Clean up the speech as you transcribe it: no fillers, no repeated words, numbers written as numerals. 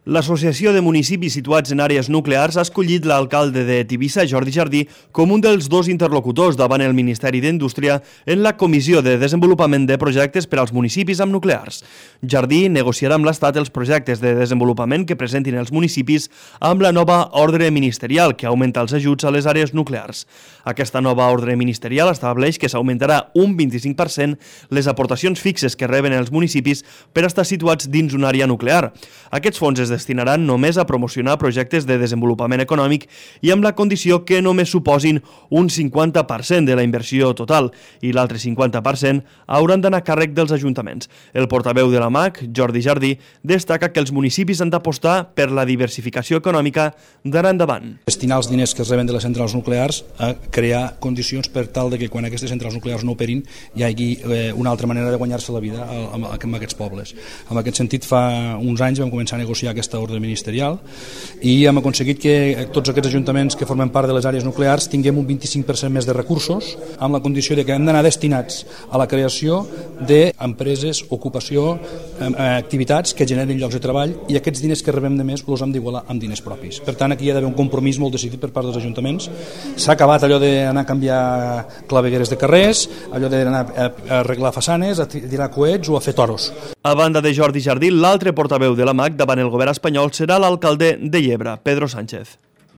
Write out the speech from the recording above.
L'Associació de Municipis Situats en Àrees Nuclears ha escollit l'alcalde de Tivissa, Jordi Jardí, com un dels dos interlocutors davant el Ministeri d'Indústria en la Comissió de Desenvolupament de Projectes per als municipis amb nuclears. Jardí negociarà amb l'Estat els projectes de desenvolupament que presentin els municipis amb la nova ordre ministerial que augmenta els ajuts a les àrees nuclears. Aquesta nova ordre ministerial estableix que s'augmentarà un 25% les aportacions fixes que reben els municipis per estar situats dins una àrea nuclear. Aquests fons es destinaran només a promocionar projectes de desenvolupament econòmic i amb la condició que només suposin un 50% de la inversió total i l'altre 50% hauran d'anar a càrrec dels ajuntaments. El portaveu de la MAC, Jordi Jardí, destaca que els municipis han d'apostar per la diversificació econòmica d'anar endavant. Destinar els diners que es reben de les centrals nuclears a crear condicions per tal de que quan aquestes centrals nuclears no operin hi hagi una altra manera de guanyar-se la vida amb aquests pobles. En aquest sentit, fa uns anys vam començar a negociar aquesta ordre ministerial i hem aconseguit que tots aquests ajuntaments que formen part de les àrees nuclears tinguem un 25% més de recursos amb la condició de que hem d'anar destinats a la creació d'empreses, ocupació, activitats que generin llocs de treball i aquests diners que rebem de més els hem d'igualar amb diners propis. Per tant, aquí hi ha d'haver un compromís molt decidit per part dels ajuntaments. S'ha acabat allò d'anar a canviar clavegueres de carrers, allò d'anar a arreglar façanes, a tirar coets o a fer toros. A banda de Jordi Jardí, l'altre portaveu de la MAC davant el govern espanyol serà l'alcalde de Llebre, Pedro Sánchez.